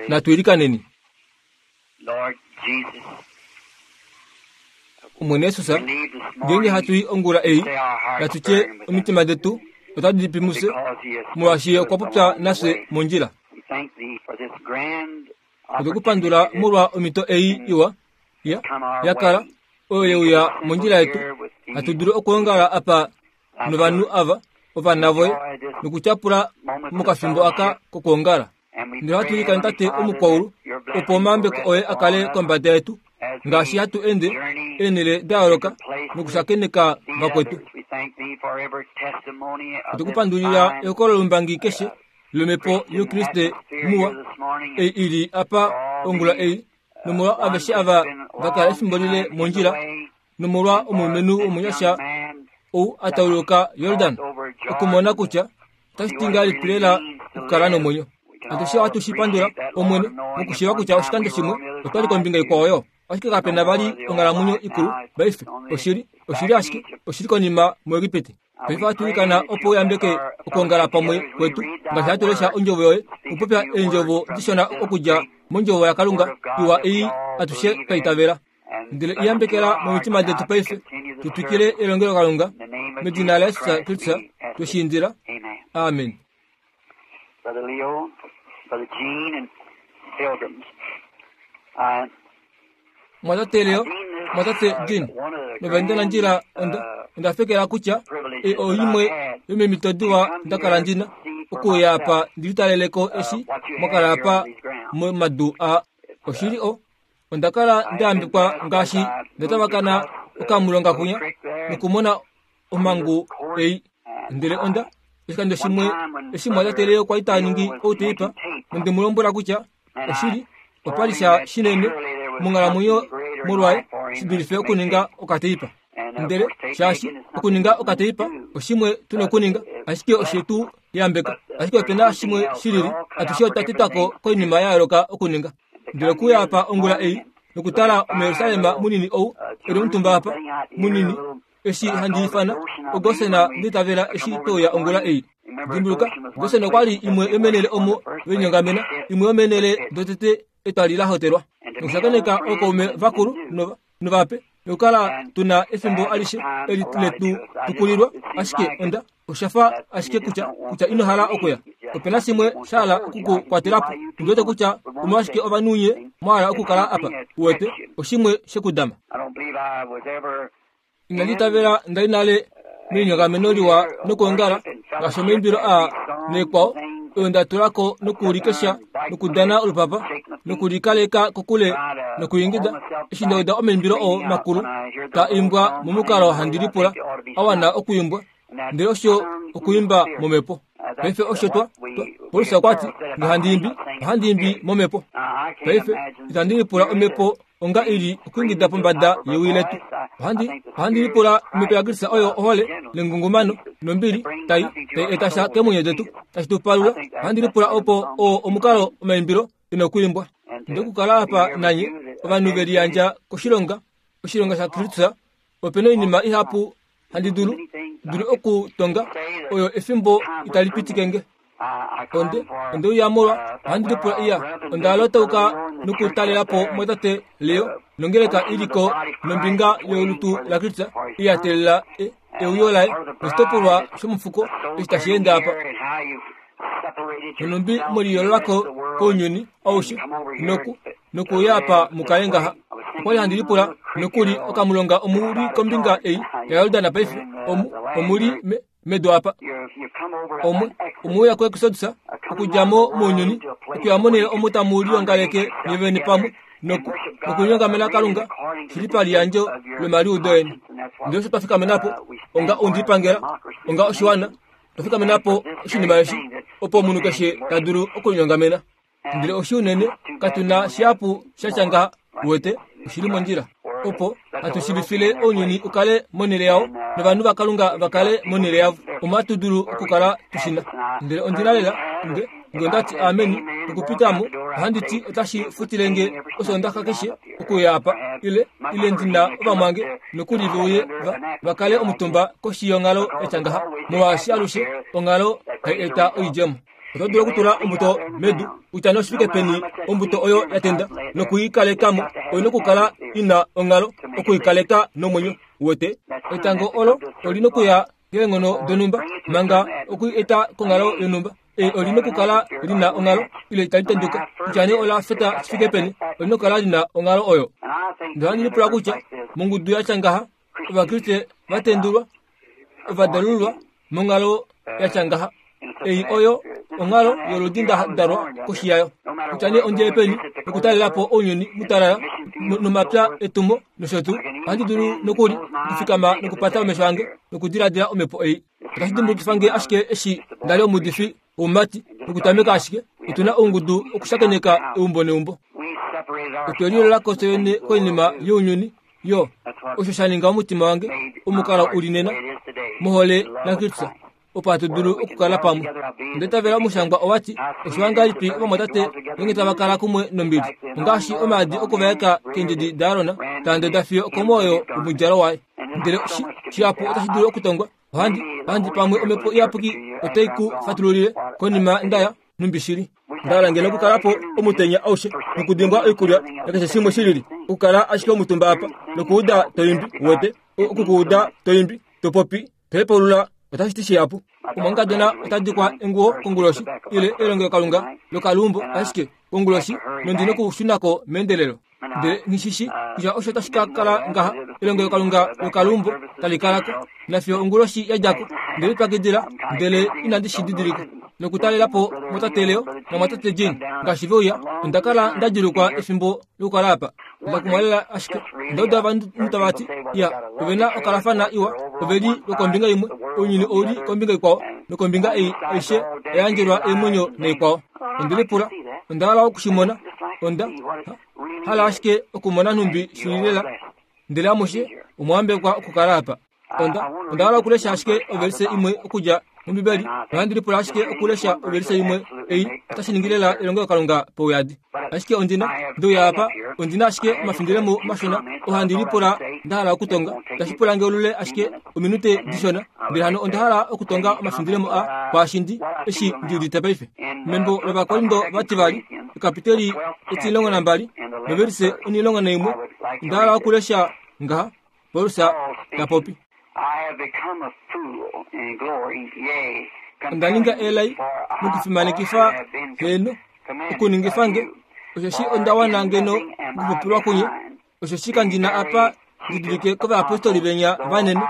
Natu ilikaneni. Omwene Jesus, ngeenge hatu i ongula ei, natu tye omitima detu otadi pi mufye, molwaashi Ye okwa popya nafye mondjila. Otwe ku pandula molwa omhito ei iwa ya, ya kala, oyo ye uya mondjila yetu, hatu dulu okwoongala apa novanhu ava, ovana voye, nokutyapula mokafimbo aka kokwoongala. Ndele ohatu ilikana Tate omukwaulu, opo omayambeko oye a kale kombada yetu, ngaashi hatu ende eenhele da yooloka nokushakeneka vakwetu. Otwe ku pandulila ehokololombangi keshe lomhepo youkriste muwa ei i li apa ongula ei, nomolwa aveshe ava va kala efimbo lile mondjila, nomolwa omulumenhu womunyasha ou a tauluka Jordan okumona kutya otashi ti ngahelipi lela okukala nomwenyo. Atushe ohatu shi pandula, Omwene, mokushiiva kutya oshikando shimwe otwa li kombinga ikwao yo, ashike kape na vali onghalamwenyo ikulu paife. Oshili, oshili ashike, oshili konima muEgipiti. Paife ohatu ilikana opo u yambeke okwoongala pamwe kwetu ngaashi hatu lesha Ondjovo yoye, okupopya eendjovo dishona okudja mOndjovo yaKalunga iwa ei atushe twa itavela. Ndele i yambekela momitima detu paife, tu twikile elongelokalunga medina laJesus Kristus twe shi indila. Amen. Brother Leo, Brother Gene, and Pilgrims. Mwatate Leo, mwatate Gene, novaendanandjila onda, onda fekela kutya ei oimwe yomeemhito diwa nda kala ndi na okuuya apa ndi litalele ko eshi mwa kala apa momadu aa. Oshili o, onda kala nda yambekwa ngaashi nda tavakana okamulonga kwinya nokumona omhangu ei. Ndele onda, oshikando shimwe eshi mwatate Leo kwa li ta ningi outeipa, nonde mu lombwela kutya oshili opa li sha shinene monghalamwenyo molwaye shi dulife okuninga okateipa. Ndele shaashi okuninga okateipa oshimwe tu na okuninga, ashike oshe tu yambeka. Ashike ope na shimwe shi lili, atushe otwa tetwa ko koinima ya yooloka okuninga. Ndele okuuya apa ongula ei nokutala omuJerusalem munini ou e li omutumba apa, munini, eshi handi ifana oGosen nda itavela eshi twe uya ongula ei. Dimbuluka, Gosen okwa li imwe yomeenhele omo ve linyongamena, imwe yomeenhele dotete etwali la hotelwa. Nokushakeneka ookaume vakulu nova, novape, nokukala tu na efimbo alishe eli letu tukulilwa, ashike onda, osha fa ashike kutya, kutya ino hala okuya. Ope na shimwe sha hala oku ku kwatela po. Ondi wete kutya omolwashike ovanhu nye mwa hala okukala apa, uwete, oshimwe she ku dama. Inandi itavela nda li nale melinyongameno liwa nokwoongala ngaashi omaimbilo aa naikwao oyo nda tula ko nokuulikesha nokudana olupapa nokulikaleka kokule nokuingida eshi nda uda omaimbilo oo makulu ta imbwa momukalo handi lipula a wana okuimbwa ndele osho okuimba momhepo paife osho twa Paulus okwa ti nge handi imbi ohandi imbi momhepo paife itandi lipula omhepo onga i li okuingida pombada yewi letu. Ohandi, ohandi lipula omhepo yaKristus oyo ohole nengungumano nombili tai, tai eta sha keemwenyo detu, tashi tu palula. Ohandi lipula opo oo omukalo omaimbilo e na okwiimbwa. Nde okukala apa nanye, ovanhu ve liyandja koshilonga, oshilonga shaKristus, ope na oinima ihapu handi dulu, dulu okutonga oyo efimbo itali pitike nge. Onde, onde uya molwa, ohandi lipula iya, onda lotauka nokutalela po mwatate Leo, nongeleka i li ko nombinga yolutu laKristus iya teelela e, euyo laye, noshitopolwa shomufuko eshi tashi ende apa. Nonhumbi mwe liyoolola ko kounyuni aushe noku, nokuuya apa mu kale ngaha. Okwa li handi lipula nokuli okamulonga omu li kombinga ei yaJordan paife, omu, omu li me, medu apa. Omwe, omwe uya kuExodus, okudja mo mounyuni, okuya monhele omo tamu liongaleke nye vene pamwe, noku, nokulinyongamena Kalunga, shi li paliyandjo lomaliudo eni. Ndele osho twa fikamena po, onga oundipangela, onga oshiwana, otwa fikamena po oshinima eshi, opo omunhu keshe ta dulu okulinyongamena. Ndele oshi unene, katu na shihapu sha tya ngaha, uwete, oshi li mondjila. Opo hatu shiivifile ounyuni u kale monhele yao, novanhu vaKalunga va kale monhele yavo, omo hatu dulu okukala tu shi na. Ndele ondi na lela, nge, nge onda ti ameni, nokupita mo, ohandi ti otashi futile nge Osoondaxa keshe okuuya apa, ile, ile ndi na ovamwange nokuli ve uye va, va kale omutumba koshi yonghalo ya tya ngaha, molwaashi alushe onghalo hai eta oidjemo. Oto dulu okutula ombuto medu kutya nee oshifike peni ombuto oyo ya tenda noku i kaleka mo, oi na okukala i na onghalo oku i kaleka nomwenyo. Uwete? Etango olo oli na okuya keenghono donhumba manga oku i eta konghalo yonhumba. E, oli na okukala li na onghalo ile itali tenduka. Kutya nee ola feta shi fike peni, oli na okukala li na onghalo oyo. Ndele ohandi lipula kutya mongudu ya tya ngaha, Ovakriste va tendulwa, ova dalululwa monghalo ya tya ngaha. Ei oyo onghalo yoludi nda dalwa koshi yayo. Kutya nee ondi ye peni nokutalela po ounyuni mutalala nomapya etumo nosho tuu, ohandi dulu nokuli okufikama nokupata omesho ange nokudiladila omhepo ei. Otashi dimbulukifa nge ashike eshi nda li omuudifi womumati nokutameka ashike otu na oungudu okushakeneka eumbo neumbo. Otwe liolola ko fye vene koinima younyuni yo osho sha ninga omutima wange omukalo u li nena mohole naKristus opo hatu dulu okukala pamwe. Onda itavela omushangwa owa ti, Oshiwa ngahelipi ovamwatate ngeenge tava kala kumwe nombili, ongaashi omaadi okuvaeka keendjedi daAron taa ndoda fiyo okomwoyo womudjalo waye. Ndele shihapu otashi dulu okutongwa. Ohandi, ohandi pamwe omhepo iyapuki otai ku fatululile konima nda ya, nhumbi shili. Nda hala ngeno okukala po omutenya aushe nokudimbwa oikulya nakeshe shimwe shilili, okukala ashike omutumba apa nokuuda to imbi, uwete, oku ku uda to imbi, to popi, to hepaulula, otashi ti shihapu. Omumwangekadona ota dikwa enguwo konguloshi, ile elongelokalunga lokaluumbo ashike konguloshi, nondi nokushuna ko meendelelo. Ndele nghi shi shi kutya osho otashi ka kala ngaha, elongelokalunga lokaluumbo tali kala ko nafiyo onguloshi ya dja ko. Nde lipyakidila ndele inandi shi didilika. Nokutalela po mwatate Leo namwatate Gene ngaashi ve uya, onda kala nda djuulukwa efimbo lokukala apa. Nda kumwa lela ashike onda uda ovanhu tava ti, Ya, ove na okalafana iwa, ove li lwokombinga imwe, ounyuni ou li kombinga ikwao, nokombinga ei aishe oya yandjelwa eemwenyo naikwao. Onde lipula, onda hala oku shi mona. Onda hala ashike okumona nhumbi shi li lela. Ndele amushe omwa yambekwa okukala apa. Onda, onda hala okulesha ashike ovelise imwe okudja mOmbibeli, nohandi lipula ashike okulesha ovelise imwe ei otashi ningi lela elongelokalunga pauyadi. Ashike ondi na, nde uya apa, ondi na ashike omafindilemo mashona oo handi lipula nda hala okutonga. Itashi pula nge olule ashike ominute dishona, ndele hano onda hala okutonga omafindilemo a kwaashi ndi, eshi ndi udite paife. Membo lOvakorindo vativali, ekapiteli etilongo nambali, novelise onilongo naimwe, onda hala okulesha ngaha, Paulus ta popi. Onda ninga elai mokufimanekifa heeno, okuningifa nge, osheshi onda wana ngeno okupopilwa kunye, osheshi kandi na apa ndi dulike kovayapostoli venya vanene,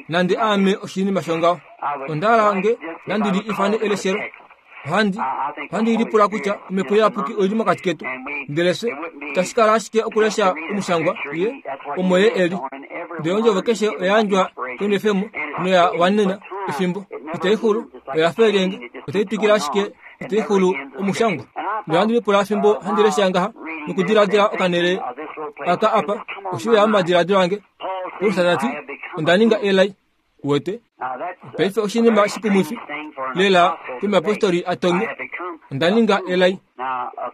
nande aame oshinima shongaho. Onda hala nge nandi li ifane eleshelo. Ohandi, ohandi lipula kutya Omhepo Iyapuki oi li mokati ketu. Ndele fye, itashi kala ashike okulesha omushangwa, Ye, omo Ye e li. Ndele ondjovo keshe oya yandjwa kenwefemo noya wanena efimbo. Itai xulu, oya fa elyenge, otai twikile ashike itai xulu omushangwa. Ndele ohandi lipula fimbo handi lesha ngaha nokudiladila okanhele aka apa, oshe uya momadiladilo ange. Paulus ta ti, Onda ninga elai. Uwete? Paife oshinima shikumwifi lela komuyapostoli a tonge, Onda ninga elai.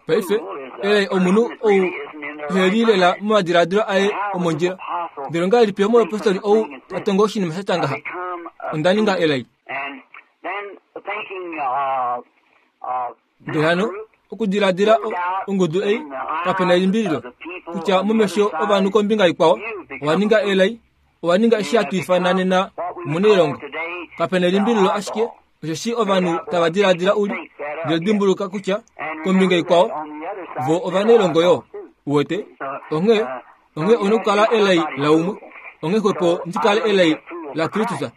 Paife, elai omunhu ou ehe li lela momadiladilo aye omondjila. Ndele ongahelipi omuyapostoli ou ta tongo oshinima sha tya ngaha? Onda ninga elai. Ndele hano, okudiladila ongudu ei, kape na elimbililo kutya momesho ovanhu kombinga ikwao, owa ninga elai, owa ninga eshi hatu ifana nena omunailongo. Kape na elimbililo ashike osheshi ovanhu tava diladila u li, ndele dimbuluka kutya kombinga ikwao vo ovanailongo yo. Uwete? Onghee, onghee ou na okukala elai laumwe. Onghee xwepo ndi kale elai laKristus.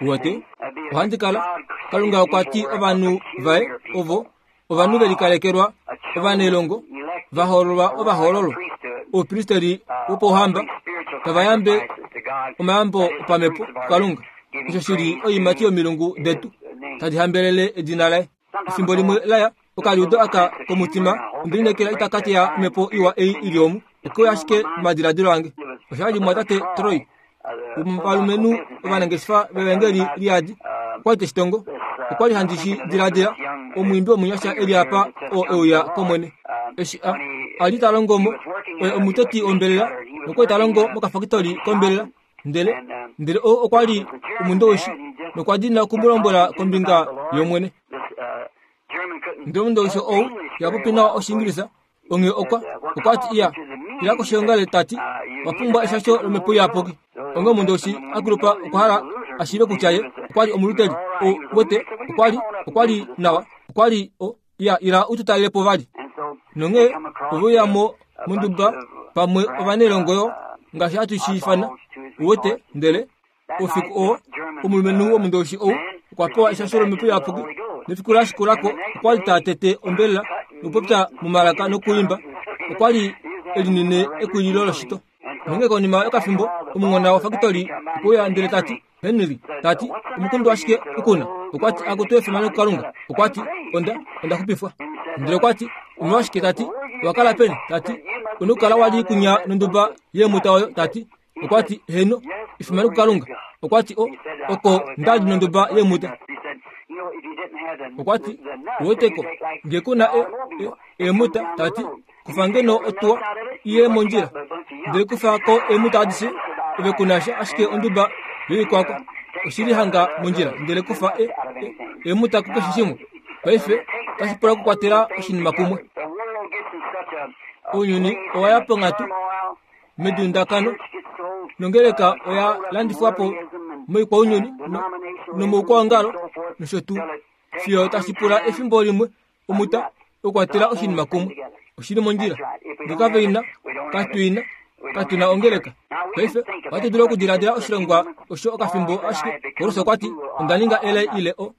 Uwete? Ohandi kala. Kalunga okwa ti ovanhu vaye ovo ovanhu ve likalekelwa, ovanailongo, va hoololwa ovahoololwa, oupristeri wopauhamba, tava yambe omayambo opamhepo kuKalunga, osho shi li oiimati yomilungu detu tadi hambelele edina laye. Efimbo limwe la ya, okaliudo aka komutima onde lineekela itaka teya omhepo iwa ei i li omu. Okwe uya ashike momadiladilo ange. Osha li mumwatate Troy, womovalumenhu ovanangeshefa vevangeli liyadi, okwa li te shi tongo. Okwa li handi shi diladila, omwiimbi womunyasha e li apa oo e uya kOmwene. Eshi a, a li ta longo mo, oye omutoti wombelela, nokwa li ta longo mokafakitoli kombelela. Ndele, ndele ou okwa li omundowishi, nokwa dina oku mu lombwela kombinga yOmwene. Ndele omundowishi ou iha popi nawa Oshiingilisa, onghee okwa, okwa ti, Iya, ila koshiongale, ta ti, Owa pumbwa eshasho lOmhepo Iyapuki. Onghee omundowishi a kulupa okwa hala a shiive kutya ye okwa li Omuluteri. Ou wete, okwa li, okwa li nawa. Okwa li o, Iya, ila u tu talele po vali. Nonghee ove uya mo monduba pamwe ovanailongo yo, ngaashi hatu shi ifana, u wete, ndele Oufiku oo, omulumenhu womundowishi ou okwa pewa eshasho lOmhepo Iyapuki, nefiku la shikula ko okwa li ta tete ombelela nokupopya momalaka nokuimba. Okwa li e linine ekulilo loshito. Nonghee konima yokafimbo, omunghona wofakitoli okwe uya ndele ta ti, Henry, ta ti, omukundu washike u ku na? Okwa ti, Akutu efimano kuKalunga. Okwa ti, Onda, onda xupifwa. Ndele okwa ti, Omolwashike, ta ti, owa kala peni? Ta ti, U na okukala wa li kunya nonduba yeemuta oyo, ta ti, Okwa ti, Heeno, efimano kuKalunga. Okwa ti, O, oko nda li nonduba yeemuta. Okwa ti, Uweteko, nge ku na e, e, eemuta, ta ti, kufa ngeno otuwa iye mondjila, ndele kufa ko eemuta adishe, ove ku na sha ashike onduba yoikwakwa. Oshi li hanga mondjila, ndele kufa e, e, eemuta kukeshe shimwe. Paife, otashi pula okukwatela oshinima kumwe. Ounyuni owa ya ponghatu medundakano nongeleka oya landifwa po moikwaunyuni nomoukwaongalo nosho tuu fiyo tashi pula efimbo limwe omuta okukwatela oshinima kumwe oshi li mondjila nge kave ina katu ina katu na ongeleka paife ohatu dulu okudiladila oshilongwa osho okafimbo ashike paulus okwa ti onda ninga elai ile o, o,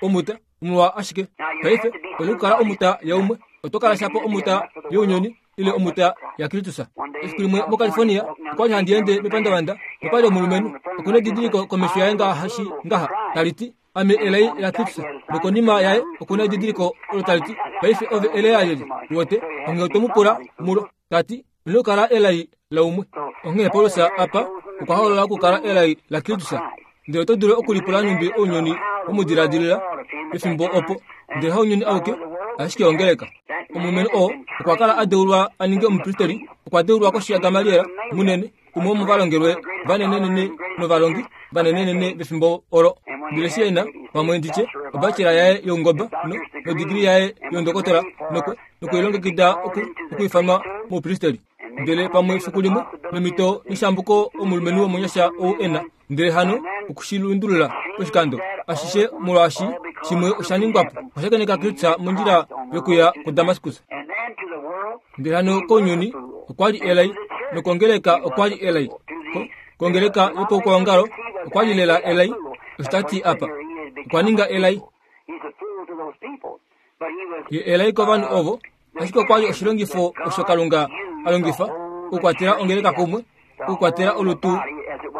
omuta Omolwa ashike paife oyo kukala omuta yaumwe oto kala shapo omuta younyuni ile omuta yaKristus. Efiku limwe moCalifornia okwa li handi ende mepandavanda nopali omulumenhu oku na edidiliko komesho yaye ngaashi ngaha tali ti ame elai laKristus nokonima yaye oku na edidiliko olo tali ti paife ove elai lalyelye wote onghee oto mu pula mulo ta ti ino kala elai laumwe. Onghee Paulus apa okwa hoolola okukala elai laKristus. Ndele oto dulu okulipula nhumbi ounyuni we mu diladilila pefimbo opo, ndele haunyuni auke, ashike ongeleka. Omulumenhu oo okwa kala a deulwa a ninge omupristeri, okwa deulwa koshi yaGamaliel munene, umwe womovalongelwe vanenenene novalongi vanenenene vefimbo olo. Ndele eshi e na, pamwe ndi tye, obachelor yaye youngoba no, nodigili yaye youndokotola, nokwe, nokulilongekida oku, okwiifanwa moupristeri. Ndele pamwe efiku limwe, nomito neshambuko omulumenhu womunyasha ou e na, ndele hano oku shi lundulula poshikando ashishe molwaashi shimwe osha ningwa po. Okwa shakeneka Kristus mondjila yokuya kuDamaskus. Ndele hano kounyuni okwa li elai, nokongeleka okwa li elai. Ko, kongeleka yopaukwaongalo okwa li lela elai, osho ta ti apa. Okwa ninga elai. Ye elai kovanhu ovo, ashike okwa li oshilongifo osho Kalunga a longifa okukwatela ongeleka kumwe, okukwatela olutu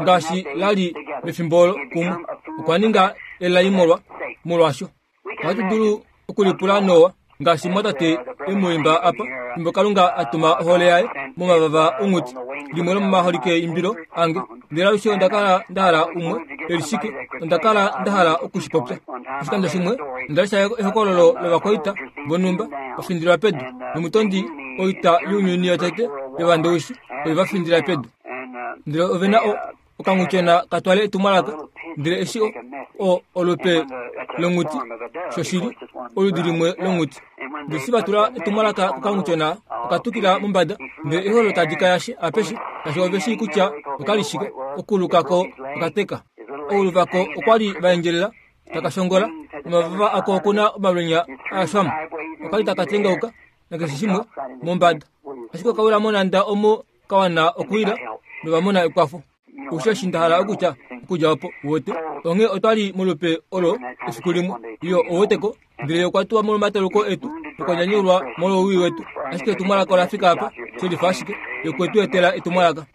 ngaashi la li mefimbo olo kumwe. Okwa ninga elai molwa molwasho. Ohatu dulu okulipula Noa ngaashi mwatate e mu imba apa, fimbo Kalunga a tuma ohole yaye momavava onghuti, limwe lomomaholike imbilo ange. Ndele alushe onda kala nda hala umwe e li shike, onda kala nda hala oku shi popya. Oshikando shimwe onda lesha ehokololo lovakwaita vonhumba va findilwa pedu nomutondi oita younyuni yotete yovandowishi oye va findila pedu. Ndele ove na okanghutyona ka twale etumwalaka, ndele eshi o, o, olupe longhuti, shoshili, oludi limwe longhuti. Ndele eshi va tula etumwalaka kokanghutyona, oka tukila mombada, ndele eholo tali ka yashe apeshe, shaashi ove shii kutya oka li shike. Okuluka ko oka teka. Oulu vako okwa li va endjelela, taka shongola, nomavava ako oku na omalwenya a xwama. Oka li taka tengauka, nakeshe shimwe, mombada. Ashike oka wila monhanda omo ka wana okuwila nova mona ekwafo. Osho eshi nda hala okutya okudja opo, uwete. Onghee otwa li molupe olo efiku limwe. Iyo, ouwete ko. Ndele okwa tuwa molwomataluko etu, nokwa nyanyulwa molwowii wetu. Ashike etumwalaka ola fika apa, shelifa ashike, Ye okwe tu etela etumwalaka.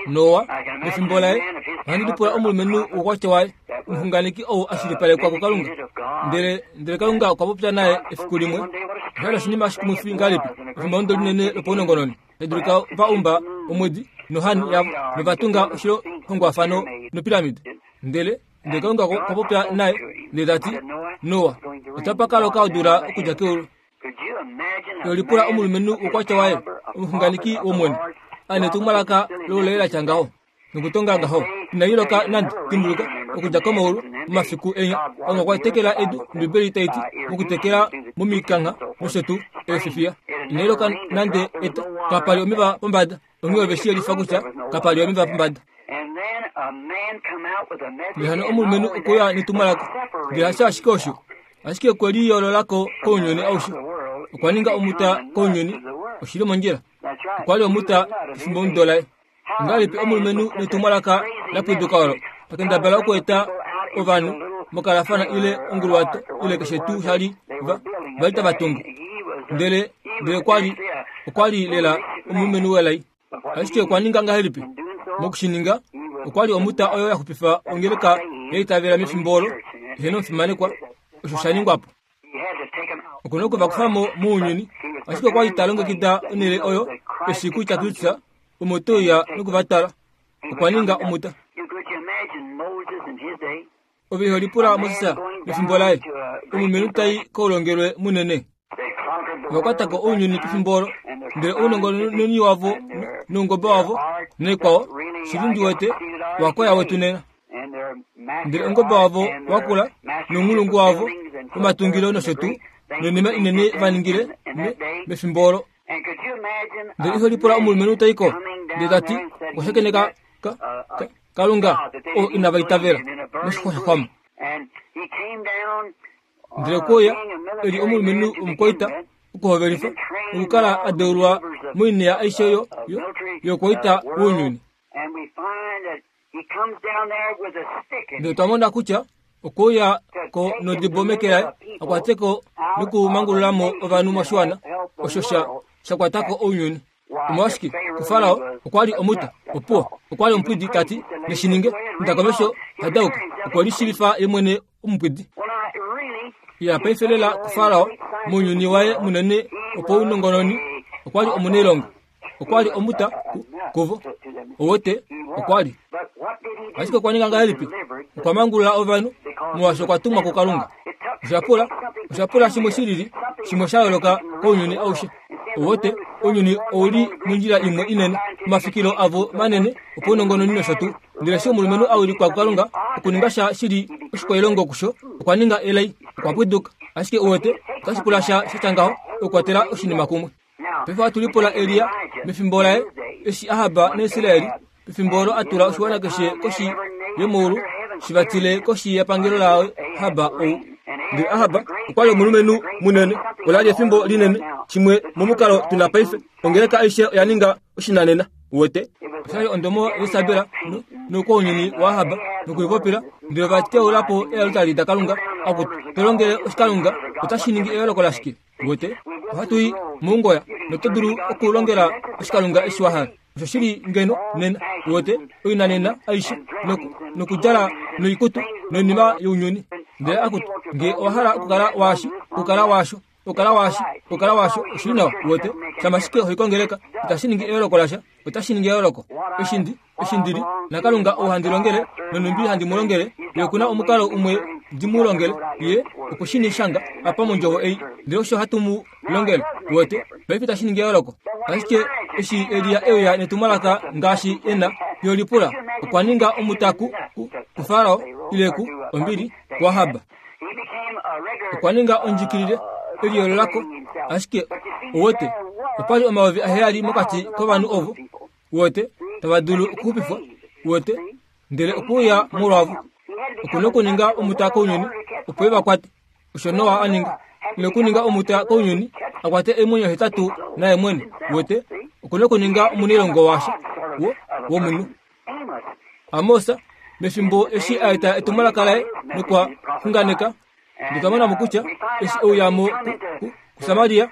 Noa, mefimbo laye, ohandi lipula omulumenhu woukwatya waye, omuxunganeki ou a shilipalekwa kuKalunga. Ndele, ndele Kalunga okwa popya naye efiku limwe. Osha li oshinima shikumwifi ngahelipi, efimbo linene lopaunongononi. Tadulika va umba omwedi nohani yavo nova tunga oshihongwafano nopiramide. Ndele ndele Kalunga okwa popya naye ndele ta ti, Noa, otapa ka loka odula okudja keulu. Yolipula omulumenhu woukwatya waye, omuxunganeki wOmwene, a netumwalaka loulai la tya ngaho. Nokutonga ngaho, inai loka nande. Dimbuluka, okudja komaulu momafiku enya. Kalunga okwa tekela edu, Ombibeli tai ti, mokutekela momikangha nosho tuu eefifiya. Inai loka nande eta. Kapa li omeva pombada. Onghee ove shi yelifa kutya kapa li omeva pombada. Ndele hano omulumenhu okwe uya netumwalaka. Ndele hasho ashike osho, ashike okwe liyoolola ko kounyuni aushe. Okwa ninga omuta kounyuni. Oshi li mondjila. Okwa li omuta pefimbomudo laye. Ongahelipi omulumenhu netumwalaka la pwiduka olo ta kendabala okweeta ovanhu mokalafana ile onguluwato ile keshe tuu sha li va va li tava tungu? Ndele ndele okwa li okwa li lela omulumenhu welai. Ashike okwa ninga ngahelipi? Moku shi ninga, okwa li omuta oyo ya xupifa ongeleka ya itavela mefimbo olo ihe nomufimanekwa. Osho sha ningwa po. Oku na oku va kufa mo mounyuni, ashike okwa li ta longekida onhele oyo eshi kutya Kristus omo te uya noku va tala. Okwa ninga omuta. Ove iho lipula Moses mefimbo laye, omulumenhu tai koulongelwe munene. Ova kwata ko ounyuni pefimbo olo, ndele ounongononi wavo noungoba wavo naikwao, shili ndi wete, wa koya wetu nena. Ndele oungoba wavo wa kula nounghulungu wavo womatungilo nosho tuu, noinima inene va ningile mefimbo olo. Ndele iho lipula omulumenhu ta i ko, ndele ta ti, Okwa shakeneka ka, ka, Kalunga oo inava itavela, moshixwa sha xwama. Ndele okwe uya e li omulumenhu omukwaita okuhovelifa nokukala a deulwa moinima aishe yo, yo, youkwaita wounyuni. Ndele otwa mona kutya okwe uya ko nodibo meke laye a kwate ko nokumangulula mo ovanhu moshiwana osho sha, sha kwata ko ounyuni. Omolwashike, kuFarao okwa li omuta, opuwo, okwa li omupwidi, ta ti, Neshi ninge, inda komesho, hadauka. Okwe lishiivifa ye mwene omupwidi. Ya paife lela kuFarao, mounyuni waye munene wopaunongononi, okwa li omunailongo. Okwa li omuta ku, kuvo. Owote, okwa li. Ashike okwa ninga ngahelipi? Okwa mangulula ovanhu, molwaashi okwa tumwa kuKalunga. Osha pula, osha pula shimwe shi lili, shimwe sha yooloka kounyuni aushe. Owote, ounyuni ou li mondjila imwe inene, omafikilo avo manene opaunongononi nosho tuu. Ndele eshi omulumenhu a wilikwa kuKalunga okuninga sha shi li oshikwailongo kusho, okwa ninga elai, okwa pwiduka. Ashike uwete, otashi pula sha sha tya ngaho okukwatela oshinima kumwe. Paife ohatu lipula Elia mefimbo laye, eshi Ahab naIsraeli pefimbo olo a tula oshiwana keshe koshi yomaulu shi vatile koshi yepangelo laAhab ou. Ndele Ahab okwa li omulumenhu munene, ola li efimbo linene, shimwe momukalo tu na paife. Ongeleka aishe oya ninga oshinanena, uwete. Osha li ondomo yaIsabel noukwaunyuni waAhab nokulipopila, ndele ova teula po eealtari daKalunga. Akutu, to longele oshikalunga, otashi ningi eyooloko lashike? Uwete, ohatu i moungoya, noto dulu okulongela oshikalunga eshi wa hala. Osho shi li ngeno nena, uwete, oinanena aishe, noku, nokudjala noikutu noinima younyuni. Ndele akutu, nge owa hala okukala waashi, okukala waasho, okukala waashi, okukala waasho, oshi li nawa, uwete. Shama ashike ho i kongeleka, itashi ningi eyooloko lasha. Otashi ningi eyooloko. Eshi ndi, eshi ndi li naKalunga ou handi longele, nonhumbi handi mu longele, Ye oku na omukalo umwe ndi mu longele. Ye okwe shi shanga apa mondjovo ei, ndele osho hatu mu longele. Uwete? Paife itashi ningi eyooloko. Ashike eshi Elia e uya netumwalaka ngaashi e na, yo lipula, okwa ninga omutaku ku, kuFarao, ile ku, ombili, kuAhab. Okwa ninga ondjikilile, e liyoolola ko. Ashike, uwete, opa li 7000 mokati kovanhu ovo, uwete, tava dulu okuxupifwa, uwete, ndele okwe uya molwavo. Oku nokuninga omuta kounyuni, opo e va kwate. Osho Noa a ninga. E nokuninga omuta kounyuni, a kwate eemwenyo hetatu naye mwene, uwete. Oku nokuninga omunailongo washa, wo, womunhu. Amos, mefimbo eshi a eta etumwalaka laye nokwa xunganeka, ndele twa mona mo kutya eshi e uya mo kuSamaria,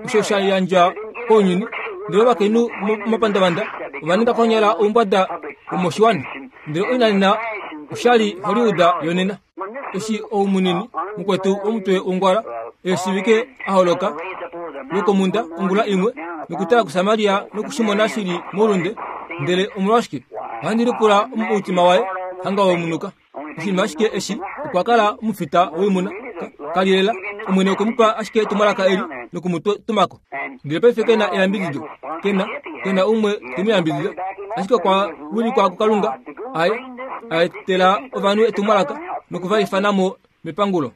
osho sha yandjwa kounyuni, ndele ovakainhu momapandavanda ova ninga konyala oumbwada womoshiwana, ndele oinanena oshali Hollywood yonena. Eshi ou munini mukwetu womutwe wongwala eeshivike a holoka lwokomunda ongula imwe nokutala kuSamaria noku shi mona shi li moulunde, ndele omolwashike ohandi lipula omutima waye hanga womunuka. Oshinima ashike eshi okwa kala omufita woimuna ka li lela. Omwene okwe mu pa ashike etumwalaka eli noku mu tuma ko. Ndele paife ke na eyambidido, ke na, ke na umwe te mu yambidida. Ashike okwa wilikwa kuKalunga. A etela ovanhu etumwalaka noku va ifana mo mepangulo.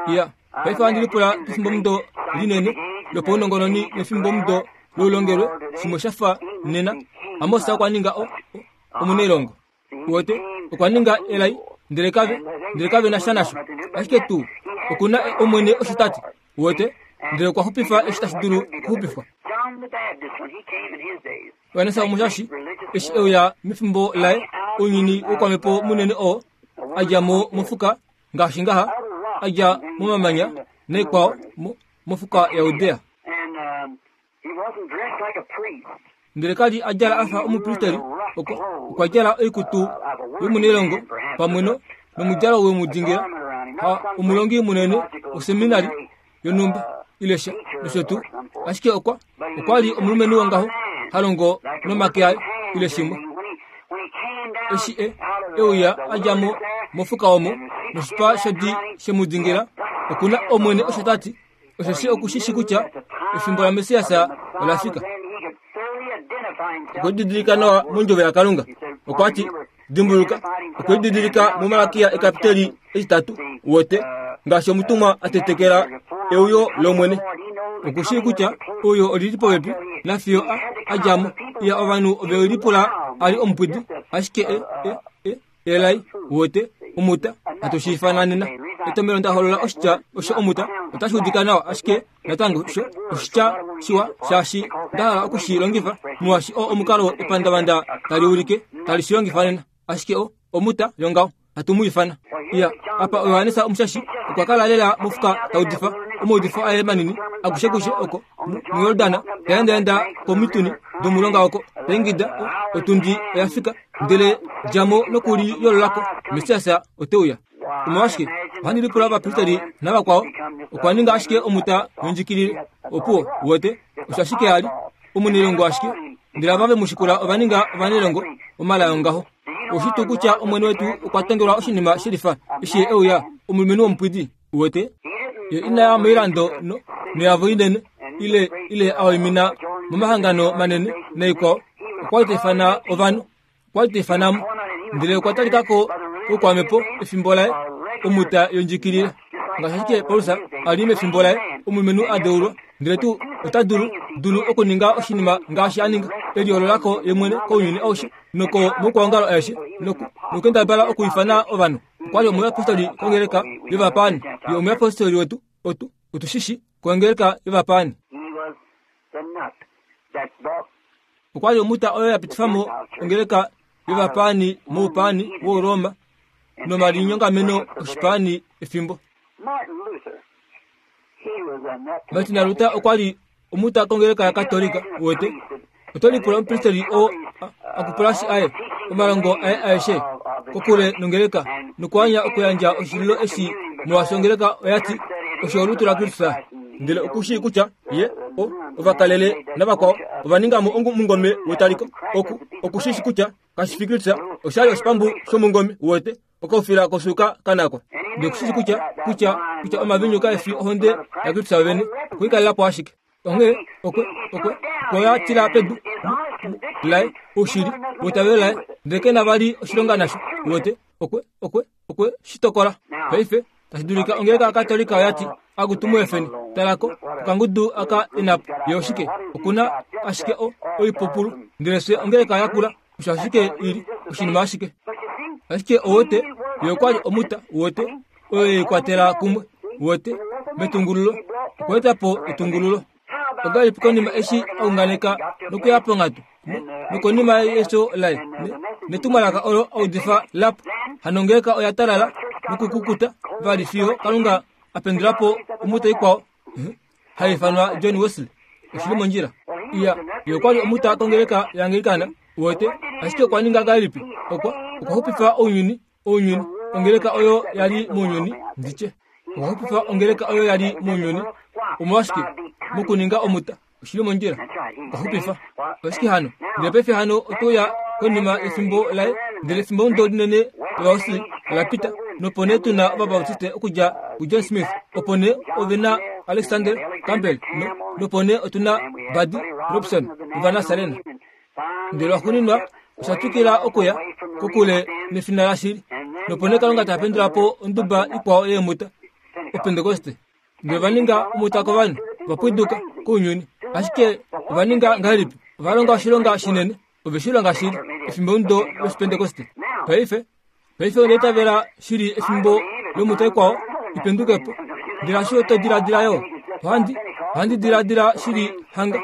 Iya, paife ohandi lipula pefimbomudo linene lopaunongononi nefimbomudo loulongelwe, shimwe sha fa nena. Amos okwa ninga o, o, omunailongo. Uwete, okwa ninga elai, ndele kave, ndele kave na sha nasho. Ashike tuu, oku na Omwene osho ta ti. Uwete, ndele okwa xupifa eshi tashi dulu okuxupifwa. Johannes Omushashi, eshi e uya mefimbo laye, ounyuni woukwamhepo munene oo, a dja mo mofuka, ngaashi ngaha, a dja momamanya naikwao, mo, mofuka yaJudea. Ndele ka li a djala a fa omupristeri, okwa, okwa djala oikutu yomunailongo pamwe no, nomudjalo we mu dingila, ha omulongi munene woseminari yonhumba ile sha nosho tuu. Ashike okwa, okwa li omulumenhu wongaho ha longo nomake aye ile shimwe. Eshi e, e uya a dja mo mofuka omo noshipa shodi she mu dingila, oku na Omwene osho ta ti, osheshi oku shi shi kutya efimbo laMessias ola fika. Okwe didilika nawa mondjovo yaKalunga. Okwa ti, Dimbuluka, okwe didilika muMalakia ekapiteli etitatu, wote, ngaashi omutumwa a tetekela euyo lOmwene. Oku shii kutya euyo oli li popepi, nafiyo a, a dja mo. Iya, ovanhu ove lipula a li omupwidi, ashike e, e, e, elai, wote, omuta, hatu shi ifana nena. Etomhelo nda holola oshitya osho omuta, otashi udika nawa, ashike natango sho oshitya shiwa shaashi nda hala oku shi longifa, molwaashi oo omukalo epandavanda tali ulike tali shi longifa nena. Ashike o, omuta yongaho, hatu mu ifana. Iya, apa Johannes Omushashi okwa kala lela mofuka ta udifa omaudifo aye manini akushekushe oko muJordan, ta endaenda komituni domulonga oko, ta ingida, otundi oya fika, ndele dja mo nokuliyoolola ko, Messias ote uya. Omolwashike, ohandi lipula ovapristeri navakwao, okwa ninga ashike omuta yondjikilile. Opuwo, uwete, osho ashike a li, omunailongo ashike. Ndele ava ve mu shikula ova ninga ovanailongo, omalai ongaho. Oushi tuu kutya Omwene wetu okwa tongelwa oshinima shelifa eshi Ye e uya, omulumenhu womupwidi? Uwete? Ye ina ya moilando no, noyavo inene, ile, ile a waimina momahangano manene naikwao. Okwa li ta ifana ovanhu. Okwa li ta ifana mo. Ndele okwa talika ko koukwamhepo efimbo laye, omuta yondjikilile. Ngaashi ashike Paulus a li mefimbo laye, omulumenhu a deulwa, ndele tuu ota dulu, dulu okuninga oshinima ngaashi a ninga, e liyoolola ko ye mwene kounyuni aushe noko moukwaongalo aeshe, noku, nokukendabala okuifana ovanhu. Okwa li omuyapostoli kongeleka yovapaani. Ye omuyapostoli wetu, otu, otu shi shi, kongeleka yovapaani. Okwa li omuta oyo ya pitifa mo ongeleka yovapaani moupaani wOuroma nomalinyongameno oshipaani efimbo. Martin Luther okwa li omuta kongeleka yaKatolika wete. Oto lipula omupristeli oo a kupulashi aye omalongo aye aeshe kokule nongeleka nokuanya okuyandja oshililo eshi molwaashi ongeleka oya ti osho olutu laKristus. Ndele oku shii kutya ye o ovakalele navakwao ova ninga mo omungome wetaliko. Oku oku shi shi kutya kashi fi Kristus, osha li oshipambu shomungome wete okaufila kosuuka kanakwa. Ndele oku shi shi kutya kutya kutya omavinyu kae fi ohonde yaKristus vene, okwe i kalela po ashike. Onghee okwe okwe okwe ya tila pedu laye oushili weitavelo laye, ndele ke na vali oshilonga nasho. Uwete, okwe okwe okwe shi tokola. Paife, tashi dulika ongeleka yaKatolika oya ti, Akutu mu efeni, tala ko, okangudu aka inapo. Ye oshike? Oku na ashike o, oipupulu. Ndele fye ongeleka yakula, osho ashike i li, oshinima ashike. Ashike ouwete, ye okwa li omuta, uwete, oyo ye i kwatela kumwe, uwete, metungululo. Okwa eta po etungululo. Ongahelipi konima eshi a unganeka nokuya ponghatu, nokonima yefyo laye, netumwalaka olo a udifa la pwa, hano ongeleka oya talala nokukukuta vali fiyo Kalunga a pendula po omuta ikwao hai ifanwa John Wesley. Oshi li mondjila. Iya, ye okwa li omuta kongeleka yaAnglikana, uwete, ashike okwa ninga ngahelipi? Okwa, okwa xupifa ounyuni, ounyuni, ongeleka oyo ya li mounyuni, ndi tye. Okwa xupifa ongeleka oyo ya li mounyuni. Omolwashike? Mokuninga omuta. Oshi li mondjila. Okwa xupifa. Oshike hano? Ndele paife hano oto ya konima yefimbo laye, ndele efimbo linene lOvawesley ola pita, nopo nee tu na Ovabautiste okudja kuJohn Smith, opo nee ove na Alexander Campbell, no, nopo nee otu na Buddy Robson nOvanasalena. Ndele lwaxuuninwa osha twikila okuya. kokule nefina lashili. Nopo nee Kalunga ta pendula po onduba ikwao yeemuta, Opentekoste. Ndele ova ninga omuta kovanhu, va pwiduka kounyuni. Ashike ova ninga ngahelipi? Ova longa oshilonga shinene. Ove shi longa shili, efimbomudo lOshipentekoste. Paife, paife onda itavela shili efimbo lomuta ikwao ipenduke po. Ndele hasho to diladila yo? Ohandi, ohandi diladila shili hanga.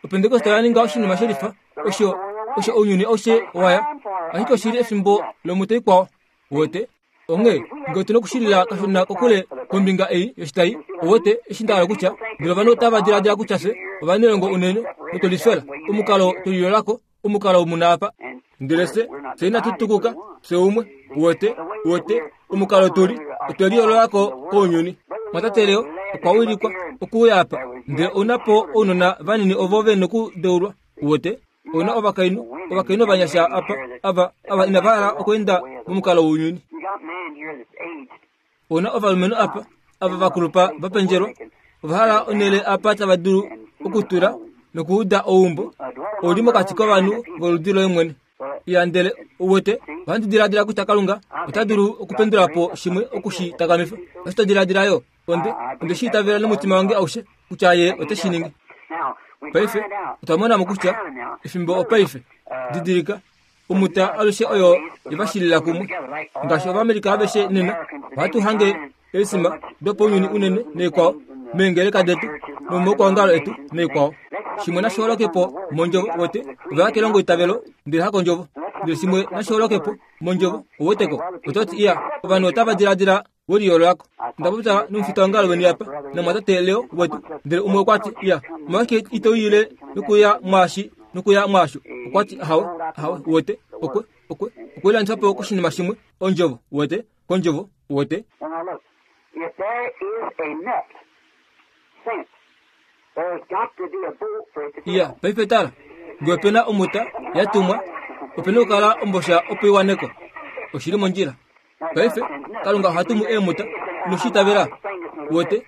Opentekoste oya ninga oshinima shelifa, osho, osho ounyuni aushe wa ya. Ashike oshili efimbo lomuta ikwao. Uwete? Onghee, nge otu nokushilila kashona kokule kombinga ei yoshitai, uwete, eshi nda hala kutya, ndele ovanhu otava diladila kutya fye ovanailongo unene notwelifela, omukalo twe lilolako, omukalo muna apa. Ndele fye, fye inatu tukuka, fye umwe, uwete, uwete, omukalo tu li, otwe liyoololako kounyuni. Mwatate Leo okwa wilikwa okuuya apa, ndele ou na po ounona vanini ovo ve nokudeulwa, uwete. Ou na ovakainhu, ovakainhu ovanyasha apa, ava, ava inava hala okweenda momukalo wounyuni. Ou na ovalumenhu apa, ava va kulupa va pendjelwa, ova hala onhele apa tava dulu okutula nokuuda ouumbo. Ou li mokati kovanhu voludi loye mwene. Ya ndele, uwete, ohandi diladila kutya Kalunga ota dulu okupendula po shimwe oku shi takamifa. Osho to diladila yo? Onde, onde shi itavela nomutima wange aushe kutya Ye ote shi ningi. Paife, otwa mona mo kutya efimbo opaife. Didilika, omuta alushe oyo ye va shilila kumwe. Ngaashi Ovamerika aveshe nena, ohatu hange eesima dopounyuni unene naikwao meengeleka detu nomomaukwaongalo etu naikwao. Shimwe nashi holoke po mondjovo, wete, ova ya kelongoitavelo ndele hakondjovo. Ndele shimwe nashi holoke po mondjovo, ouweteko, oto ti, Iya, ovanhu otava diladila we liyoololako. Onda popya nomufitaongalo weni apa, namwatate Leo wetu, ndele umwe okwa ti, Ya, omolwashike ito uyile nokuya mwaashi nokuya mwaasho? Okwa ti, Ahawe, ahawe, uwete, okwe, okwe, okwe lilandifa po koshinima shimwe, ondjovo, uwete, kondjovo, uwete. Iya, paife tala, nge ope na omuta ya tumwa, ope na okukala ombosha opo i wane ko. Oshi li mondjila. Paife, Kalunga oha tumu eemuta, ino shi itavela? Uwete?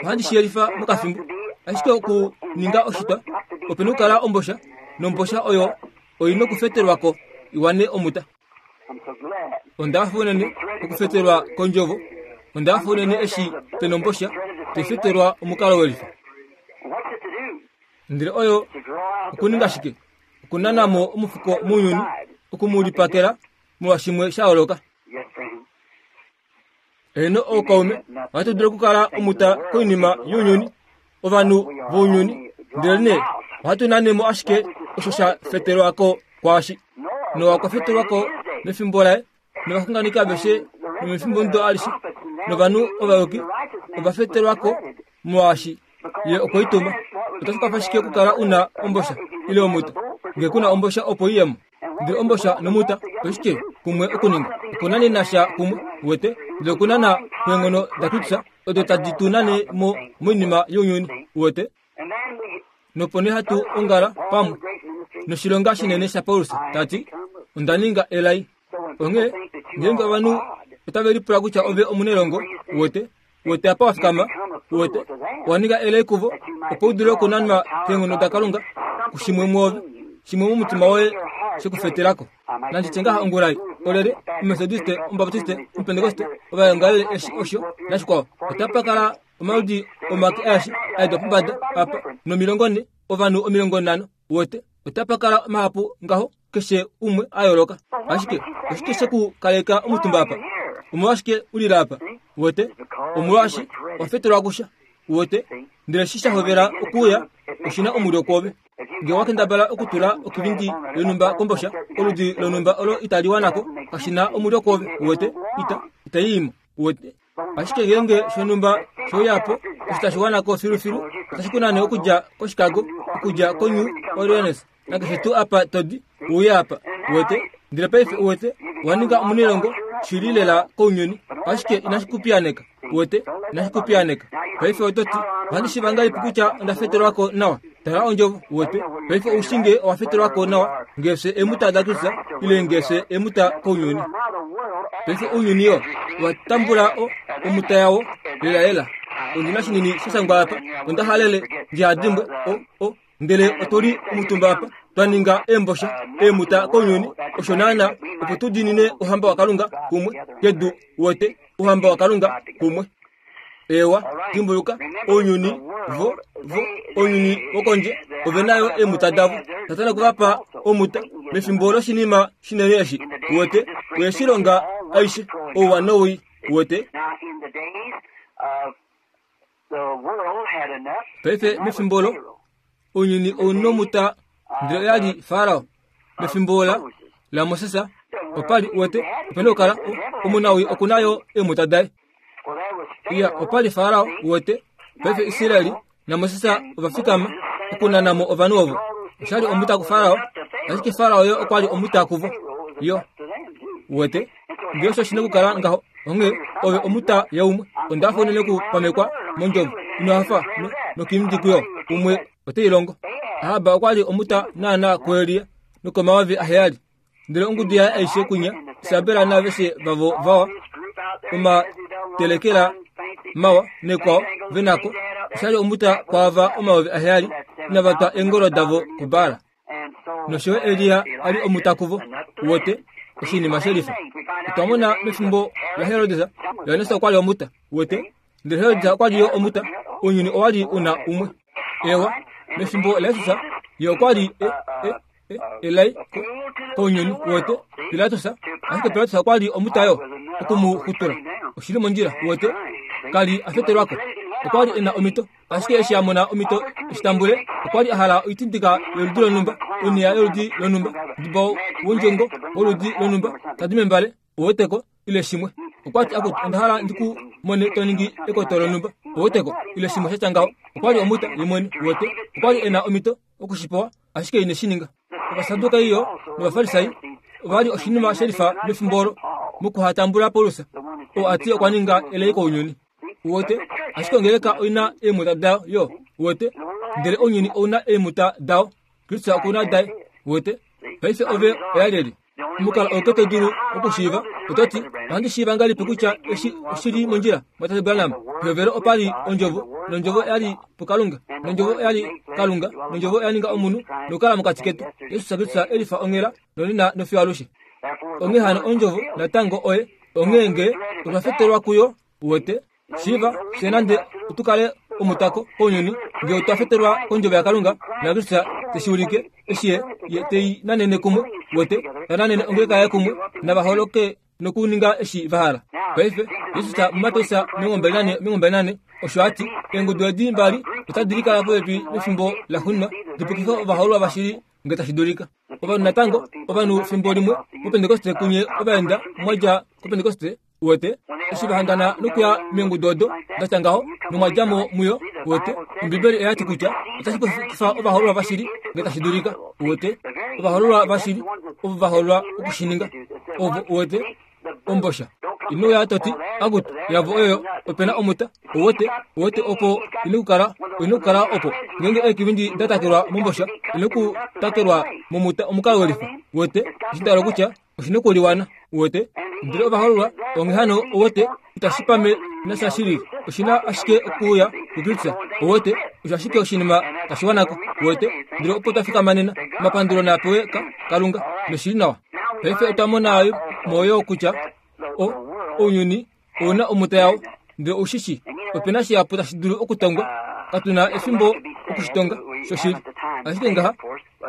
Ohandi shi yelifa mokafimbo. Ashike okuninga oshitwa, ope na okukala ombosha, nombosha oyo oi nokufetelwa ko i wane omuta. Onda hafa unene okufetelwa kondjovo. Onda hafa unene eshi pe nombosha tai fetelwa omukalo welifa. Ndele oyo okuninga shike? Okunana mo omufuko mounyuni, oku mu lipakela molwashimwe sha yooloka. Heeno, ookaume, ohatu dulu okukala omuta koinima younyuni, ovanhu vounyuni, ndelenee ohatu nane mo ashike osho sha fetelwa ko kwaashi. Noa okwa fetelwa ko mefimbo laye, novaxunganeki aveshe nomefimbomudo alishe, novanhu ovayuki ova fetelwa ko molwaashi ye okwe i tuma. Otashi kwafa shike okukala u na ombosha ile omuta nge ku na ombosha opo i ye mo? Ndele ombosha nomuta oshike kumwe okuninga? Okunanena sha kumwe, uwete, ndele okunana kweenghono daKristus odo tadi tu nane mo moinima younyuni, uwete. Nopo nee hatu ongala pamwe noshilonga shinene shaPaulus ta ti, Onda ninga elai. Onghee ngeenge ovanhu otave lipula kutya ove omunelongo, uwete, Uwete apa wa fikama? Uwete? Owa ninga elai kuvo, opo u dule okunanwa keenghono daKalunga kushimwe mwoove, shimwe momutima woye she ku fetela ko. Nandi tye ngaha ongula ei, olyelye, Omumetodiste, Omubaptiste, Omupentekoste, ovaongalele eshi, osho, nashikwao. Otapa kala omaludi omake aeshe a edwa pombada apa, nomilongonhe, ovanhu omilongonhano, uwete. Otapa kala mahapu ngaho, keshe umwe a yooloka. Ashike oshike she ku kaleka omutumba apa? Omolwashike u lila apa? Uwete? Omolwaashi wa fetelwa kusha. Uwete? Ndele eshi sha hovela okuuya, oshi na omulyo kwoove. Nge owa kendabala okutula okivindi yonhumba kombosha, oludi lonhumba olo itali wana ko, kashi na omulyo kwoove. Uwete? Ita, itai i mo. Uwete? Ashike ngeenge shonhumba she uya po, osho tashi wana ko filufilu, otashi ku nane okudja koChicago, okudja koNew Orleans, nakeshe tuu apa to di, u uye apa. Uwete? Ndele paife, uwete, owa ninga omunailongo shili lela kounyuni, ashike inashi ku piyaaneka. Uwete? Inashi ku piyaaneka. Paife oto ti, Ohandi shiiva ngahelipi kutya onda fetelwa ko nawa? Tala ondjovo, uwete. Paife ou shii nge owa fetelwa ko nawa, nge fye eemuta daKristus, ile nge fye eemuta kounyuni. Paife ounyuni oo owa tambula o, omuta yawo lelalela. Ondi na shinini sha shangwa apa, onda halele ndi ha dimbwe o, o, ndele otu li omutumba apa. Twa ninga eembosha, eemuta kounyuni, osho naana, opo tu diinine Ouhamba waKalunga kumwe, kedu, uwete, Ouhamba waKalunga kumwe. Eewa, dimbuluka, ounyuni, vo, vo, ounyuni wokondje, ove na yo eemuta davo. Satana okwe va pa omuta, mefimbo loshinima shinene eshi, uwete, oye shi longa aishe, ouwa nowii, uwete. Paife, mefimbo olo, ounyuni ou nomuta, ndele oya li Farao. Mefimbo la, laMoses, opa li, uwete, ope nokukala omunawii oku na yo eemuta daye. Iya, opa li Farao, uwete. Paife Israel naMoses ova fikama okunana mo ovanhu ovo. Osha li omuta kuFarao, ashike Farao yo okwa li omuta kuvo. Yo. Uwete? Nge osho shi nokukala ngaho, onghee ove omuta yaumwe. Onda hafa unene okupamekwa mondjovo. Ino hafa no, nokiimudi kuyo? Umwe ote i longo. Ahab okwa li omuta naanaa kuElia nokomayovi aheyali. Ndele ongudu yaye aishe kwinya, Isabel naaveshe vavo vawa, omatelekela mawa nekwao ve nako, osha li omuta kwaava 7000 inava twa eengolo davo kuBaal. Nosho yo Elia a li omuta kuvo, uwete, oshinima shelifa. Otwa mona mefimbo laHerodes, Johannes okwa li omuta, uwete, ndele Herodes okwa li yo omuta, ounyuni owa li u na umwe. Ewa, mefimbo laJesus, ye okwa li e, e, elai kounyuni uwete Pilatus, ashike Pilatus okwa li omutayo oku mu xutula. Oshi li mondjila, uwete, ka li a fetelwa ko. Okwa li e na omhito, ashike eshi a mona omhito eshi tambule, okwa li a hala oitindika yoludi lonhumba, oniya yoludi lonhumba, diba wondjongo woludi lonhumba, tadi membale, uweteko, ile shimwe. Okwa ti, Akutu, onda hala ndi ku mone to ningi ekoto lonhumba, uweteko, ile shimwe sha tya ngaho. Okwa li omuta, ye mwene, uwete. Okwa li e na omhito oku shi pewa, ashike ine shi ninga. Ovasadukai yo nOvafarisai ova li oshinima she lifa mefimbo olo mokuhatambula Paulus, oo a ti okwa ninga elai kounyuni. Uwete? Ashike ongeleka oi na eemuta dayo yo. Uwete? Ndele ounyuni ou na eemuta dao. Kristus oku na daye. Uwete? Paife ove oya lyelye? Omukalo auke to dulu okushiiva, oto ti, Ohandi shiiva ngahelipi kutya eshi oshi li mondjila, Mwatate Branham? Pehovelo opa li Ondjovo, nOndjovo oya li puKalunga, nOndjovo oya li Kalunga, nOndjovo oya ninga omunhu nokukala mokati ketu, Jesus Kristus e lifa onghela, nonena nofiyo alushe. Onghee hano Ondjovo natango oye, onghee nge otwa fetelwa kuyo, uwete, Shiiva, fye nande otu kale omutako kounyuni, nge otwa fetelwa kOndjovo yaKalunga, naKristus te shi ulike, eshi Ye, Ye te i nanene kumwe, uwete, ta nanene ongeleka Yaye kumwe, nava holoke nokuninga eshi va hala. Paife, Jesus muMateus 24, osho a ti, Eengudu edi mbali otadi likala popepi mefimbo laxuuninwa, di pukife ovahoololwa vashili nge tashi dulika. Ovanhu natango, ovanhu fimbo limwe moPentekoste kunye ova enda mwa dja koPentekoste, Uwete, eshi va hangana nokuya meengudu odo da tya ngaho, nomwa dja mo muyo, uwete, Ombibeli oya ti kutya otashi pukifa ovahoololwa vashili nge tashi dulika. Uwete, ovahoololwa vashili ovo va hoololwa oku shi ninga. Ovo, uwete, ombosha. Ino uya to ti, Akutu, yavo oyoyo, ope na omuta. Uwete, uwete opo ine kukala, oine kukala opo. Ngeenge eekivindi da takelwa mombosha, ine ku takelwa momuta omukalo welifa. Uwete, eshi nda hala okutya, oshi nokuliwana uwete ndele ovahololwa onghee hano uwete itashi pame nasha shili oshi na ashike okuuya kuKristus uwete osho ashike oshinima tashi wanako uwete ndele opo twa fikama nena omapandulo naa pewe ka Kalunga noshili nawa paife otwa mona mo yo kutya o ounyuni ou na omuta yao ndele ou shi shi ope na shihapu tashi dulu okutongwa katu na efimbo oku shi tonga shoshili ashike ngaha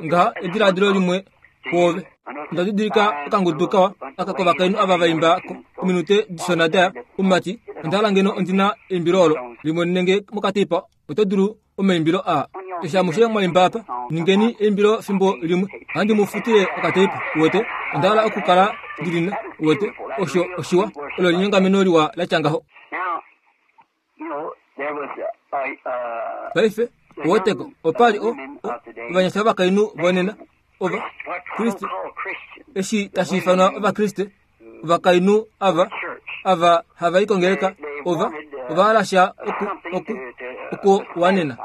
ngaha ediladilo limwe kwoove onda didilika okangudu kawa aka kovakainhu ava va imba ominute dishona daya omumati onda hala ngeno ondi na eimbilo olo limwe nenge mokateipa oto dulu omaimbilo aa eshi amushe mwa imba apa ningeni eimbilo fimbo limwe ohandi mu futile okateipa uwete onda hala okukala ndi lina uwete osho oshiwa olo linyongameno liwa la tya ngaho Paife, uweteko, opa li o, o, ovanyasha ovakainhu vonena, ova, Kriste, eshi tashi ifanwa Ovakriste, ovakainhu ava, ava hava i kongeleka, ova, ova hala sha oku, oku, okuwanena.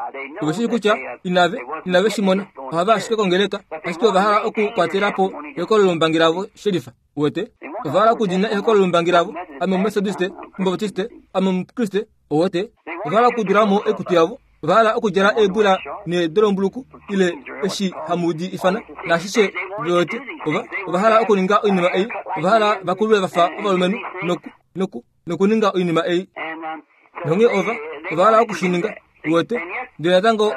Ove shii kutya inave, inave shi mona. Ohava ashike kongeleka, ashike ova hala okukwatela po ekololombangi lavo shelifa. Uwete? Ova hala okudina ehokololombangi lavo. Ame Omumetodiste, Omubaptiste, ame Omukriste. Uwete? Ova hala okudula mo oikutu yavo. Ova hala okudjala eebula needolombuluku ile eshi hamu di ifana naashishe vewete. Ova, ova hala okuninga oinima ei. Ova hala va kulwe va fa ovalumenhu noku, noku, nokuninga oinima ei. Nonghee ova, ova hala oku shi ninga. Uwete? Ndele natango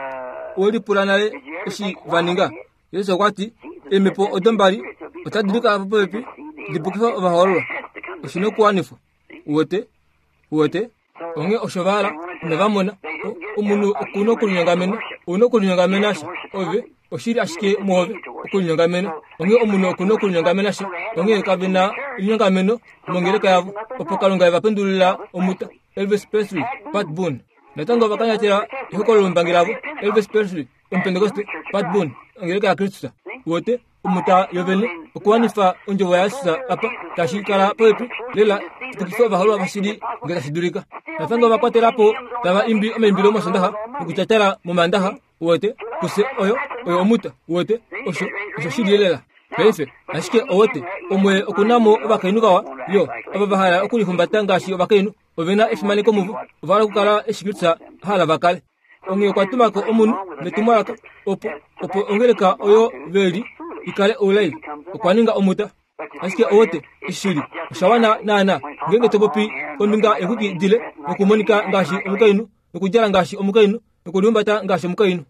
owe lipula nale eshi va ninga. Jesus okwa ti, Eemhepo odo mbali otadi likala po popepi di pukife ovahoololwa. Oshi nokuwanifwa. Uwete? Uwete? Onghee osho va hala, inava mona. Omunhu oku na okulinyongamena. Ou na okulinyongamena sha. Ove, oshi li ashike mwoove, okulinyongamena. Onghee omunhu oku na okulinyongamena sha. Onghee kave na elinyongameno mongeleka yavo, opo Kalunga e va pendulila omuta. Elvis Presley, Pat Boone. Natango ova kanyatela ehokololo lombangi lavo, Elvis Presley, Omupentekoste, Pat Boone, ongeleka yaKristus. Uwete, omuta yovene, okuwanifa ondjovo yaJesus apa, tashi kala popepi lela tupukife ovaholwa vashili nge tashi dulika. Natango ova kwatela po tava imbi omaimbilo mOsondaxa nokutyatala mOmaandaxa, uwete, kufye oyo, oyo omuta, uwete, osho, osho shili lela. Paife, ashike owete, omwe oku na mo ovakainhu vawa, yo, ava va hala okulihumbata ngaashi ovakainhu, ove na efimaneko muvo, ova hala okukala eshi Kristus a hala va kale. Onghee okwa tuma ko omunhu netumwalaka opo opo ongeleka oyo ve li i kale oulai. Okwa ninga omuta. Ashike owote shili osha wana naana ngeenge to popi kombinga yexwiki dile nokumonika ngaashi omukainhu nokudjala ngaashi omukainhu nokulihumbata ngaashi omukainhu.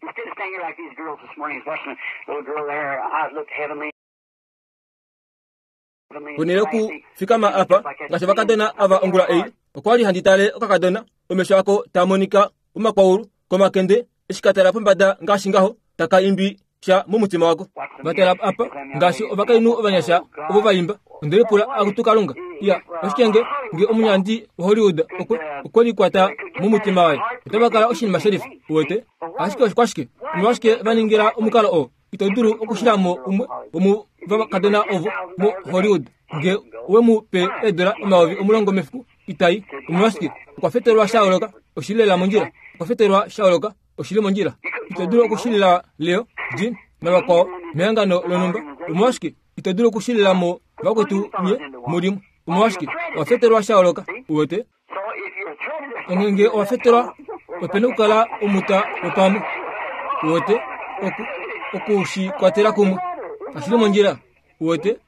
Ponhele yokufikama apa ngaashi ovakadona ava ongula ei, okwa li handi tale okakadona, omesho ako taa monika omakwaulu komakende eshi ka tala pombada ngaashi ngaho, taka imbi sha momutima wako. Va tala apa ngaashi ovakainhu ovanyasha ovo va imba. Onde lipula, Akutu Kalunga, iya, oshike nge, nge omunyandi waHollywood okwe, okwe likwata momutima waye, otava kala oshinima shelifa, uwete? Ashike oshkwashike? Omolwashike va ningila omukalo oo? Ito dulu okushila mo umwe womovakadona ovo moHollywood nge we mu pe eedola 10,000 mefiku, itai. Omolwashike? Okwa fetelwa sha yooloka. Oshi li lela mondjila. Okwa fetelwa sha yooloka. Oshi li mondjila. Ito dulu okushilila Leo, Jean navakwao mehangano lonhumba. Omolwashike? Ito dulu okushilila mo vakwetu nye mulimwe. Omolwashike? Owa fetelwa sha yooloka. Uwete? Onghee nge owa fetelwa, ope na okukala omuta wopamwe. Uwete? Oku, oku shi kwatela kumwe. Kashi li mondjila. Uwete?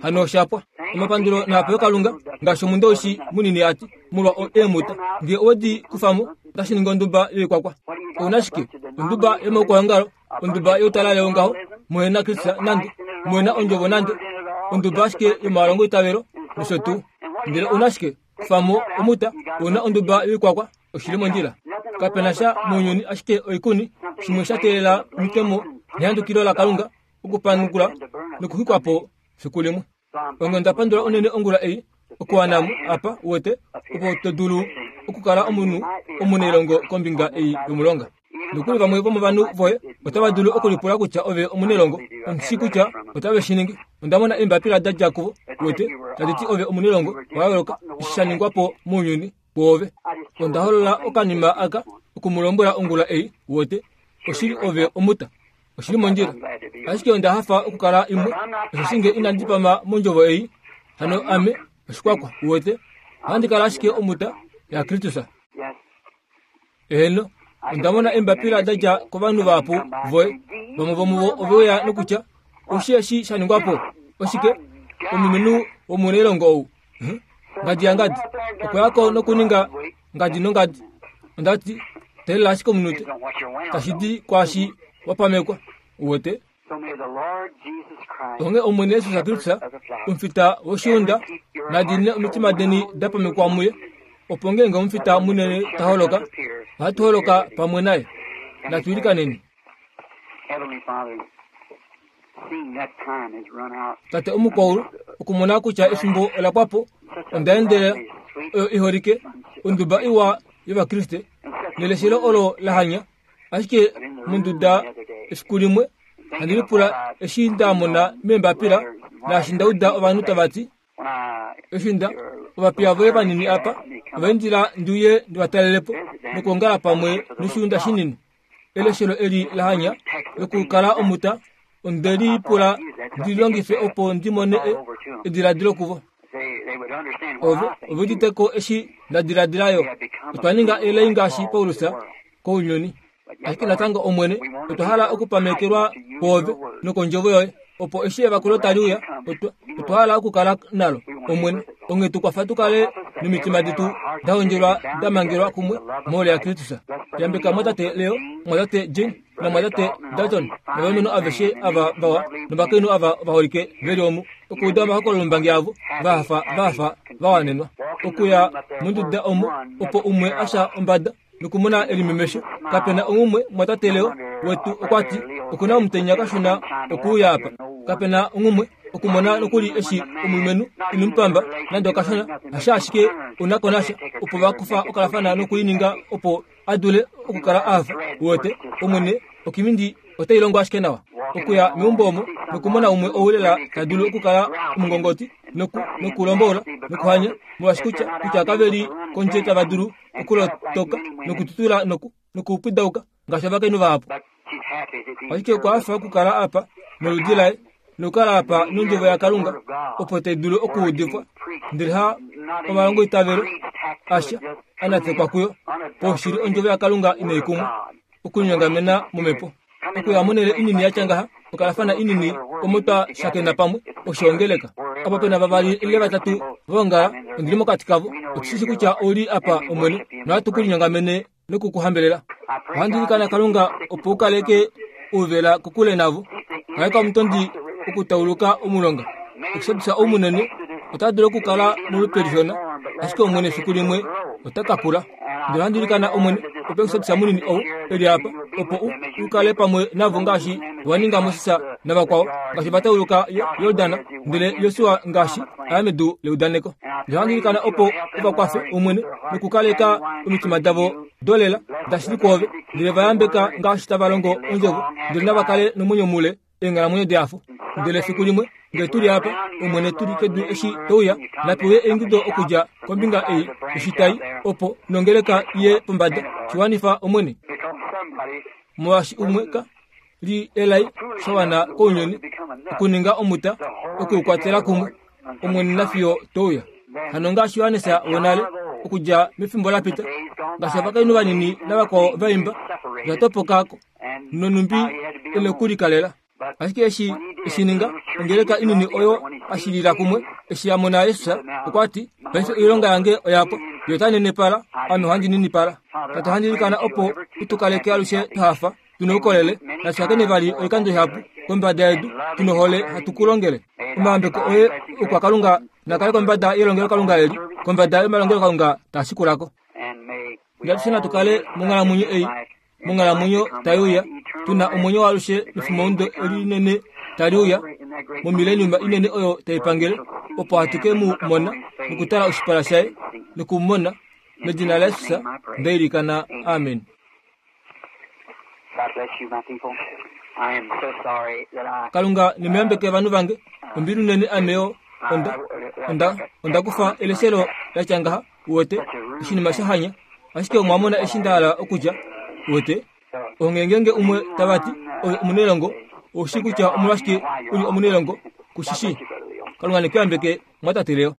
Hano osha pwa. Omapandulo naa pewe Kalunga, ngaashi omundowishi munini a ti, molwa eemuta. Nge owe di kufa mo, otashi ningi onduba yoikwakwa. Ou na shike? Onduba yomaukwaongalo, onduba youtalale wongaho, muhe na Kristus nande, muhe na Ondjovo nande, onduba ashike yomalongoitavelo nosho tuu. Ndele ou na shike? Kufa mo omuta, ou na onduba yoikwakwa, oshi li mondjila. Kape na sha mounyuni ashike oikuni, shimwe sha teelela omitemo nehandukilo laKalunga okupanukula nokuxwikwa po fiku limwe. Onghee onda pandula unene ongula ei okuwana mo apa, uwete, opo to dulu okukala omunhu omunailongo kombinga ei yomulonga. Nokuli vamwe vomovanhu voye otava dulu okulipula kutya ove omunailongo. Ondi shii kutya otave shi ningi. Onda mona eembapila da dja kuvo, uwete, tadi ti ove omunailongo wa yooloka, eshi sha ningwa po mounyuni woove. Onda holola okanima aka oku mu lombwela ongula ei, uwete, oshili ove omuta. Oshi li mondjila. Ashike onda hafa okukala imwe, osheshi nge inandi pama mondjovo ei, hano ame oshikwakwa, uwete, ohandi kala ashike omuta yaKristus. Eheno, onda mona eembapila da dja kovanhu vahapu voye. Vamwe vomuvo ove uya nokutya, Oshi eshi sha ningwa po? Oshike? Omulumenhu womunailongo ou, ngadi yangadi, okwa ya ko nokuninga ngadi nongadi. Onda ti, Teelela ashike omunute. Tashi di kwaashi wa pamekwa. Uwete? Onghee Omwene Jesus Kristus, omufita woshiunda, na diinine omitima deni da pamekwa muye, opo ngeenge omufita munene ta holoka, ohatu holoka pamwe naye. Natu ilikaneni. Tate omukwaulu, okumona kutya efimbo ola pwa po, onda endela oyo i holike, onduba iwa yOvakriste, neleshelo olo la hanya. Ashike monduda efiku limwe, handi lipula eshi nda mona meembapila naashi nda uda ovanhu tava ti, Eshi nda ovapiya voye vanini apa ova indila ndi uye ndi va talele po nokwoongala pamwe noshiunda shinini. Eleshelo eli la hanya lokukala omuta onde li pula ndi longife opo ndi mone ediladilo kuvo. Ove ove udite ko eshi nda diladila yo. Otwa ninga elai ngaashi Paulus kounyuni. Ashike natango Omwene, otwa hala okupamekelwa kwoove nokondjovo yoye, opo eshi evakulo tali uya, otwa, otwa hala okukala nalo. Omwene, onghee tu kwafa tu kale nomitima detu da hondjelwa da mangelwa kumwe mohole yaKristus. Yambeka mwatate Leo, mwatate Gene, namwatate Dalton, novalumenhu aveshe ava vawa novakainhu ava ovaholike ve li omu, okuuda omahokololombangi avo, va hafa, va hafa, va wanenwa. Okuya monduda omo, opo umwe a sha ombada nokumona elimemesho. Kape na oumwe, mwatate Leo wetu okwa ti, oku na omutenya kashona okuuya apa. Kape na oumwe okumona nokuli eshi omulumenhu ino mu pamba nande okashona, hasha ashike u na ko nasha, opo va kufa okalafana noku i ninga opo a dule okukala a hafa. Uwete, Omwene, okimindi otai longo ashike nawa. Okuya meumbo omo nokumona umwe ou lela ta dulu okukala omungongoti noku, nokulombola nokuhanya, molwaashi kutya, kutya kave li kondje tava dulu okulotoka nokututula noku, nokupwidauka ngaashi ovakainhu vahapu. Ashike okwa hafa okukala apa noludi laye nokukala apa nondjovo yaKalunga opo tai dulu okuudifwa, ndele ha omalongoitavelo asha a natekwa kuyo. Poushili ondjovo yaKalunga inai kumwa okunyongamena momhepo. Okuya monhele inini ya tya ngaha, okalafana inini omo twa shakena pamwe, oshoongeleka. Apa pe na vavali ile vatatu va ongala, ondi li mokati kavo. Otu shi shii kutya ou li apa, Omwene, nohatu ku linyongamene noku ku hambelela. Ohandi ilikana Kalunga opo u kaleke ouvela kokule navo. Kaleka omutondi okutauluka omulonga. Exodus ou munene ota dulu okukala molupe lishona, ashike Omwene efiku limwe ota ka kula. Ndele ohandi ilikana Omwene opo Exodus munini ou e li apa, opo u, u kale pamwe navo ngaashi wa ninga Moses navakwao, ngaashi va tauluka Jordan, ndele Josua ngaashi a ya medu leudaneko. Ndele ohandi ilikana opo u va kwafe, Omwene, nokukaleka omitima davo dolela dashili kwoove, ndele va yambeka ngaashi tava longo ondjovo, ndele nava kale nomwenyo mule eenghalamwenyo dehafo. Ndele efiku limwe, ngee tu li apa, Omwene, tu li kedu eshi to uya, napewe eingido okudja kombinga ei yoshitai, opo nongeleka iye pombada. Shi wanifa, Omwene. Molwaashi umwe ka li elai sha wana kounyuni okuninga omuta oku u kwatela kumwe, Omwene nafiyo to uya. Hano ngaashi Johannes wonale, okudja mefimbo la pita, ngaashi ovakainhu vanini navakwao va imba, va topoka ko, nonhumbi e nokulikalela. Ashike eshi e shi ninga, ongeleka inini oyo a shilila kumwe, eshi ya mona Jesus, okwa ti, Paife oilonga yange oya pwa. Ye ota nenepala, ame ohandi ninipala. Tate, ohandi ilikana opo u tu kaleke alushe twa hafa, tu noukolele, natu shakene vali oikando ihapu kombada yedu, tu nohole hatu ku longele. Omayambeko oye oukwakalunga na kale kombada yelongelokalunga eli, kombada yomalongelokalunga taa shikula ko. Nge atushe natu kale monghalamwenyo ei, monghalamwenyo tai uya, tu na omwenyo waalushe mefimaundo eli linene tali uya, momileniuma inene oyo tai pangele, opo hatu ke mu mona nokutala oshipala shaye noku mu mona. Medina laJesus nda ilikana. Amen. Kalunga ne mu yambeke ovanhu vange. Ombili unene ame yo onda, onda, onda kufa eleshelo la tya ngaha, uwete, oshinima sha hanya. Ashike omwa mona eshi nda hala okutya, uwete. Onghee ngeenge umwe tava ti, Ove omunailongo, ou shii kutya omolwashike u li omunailongo, ku shi shii. Kalunga ne ku yambeke, mwatate Leo.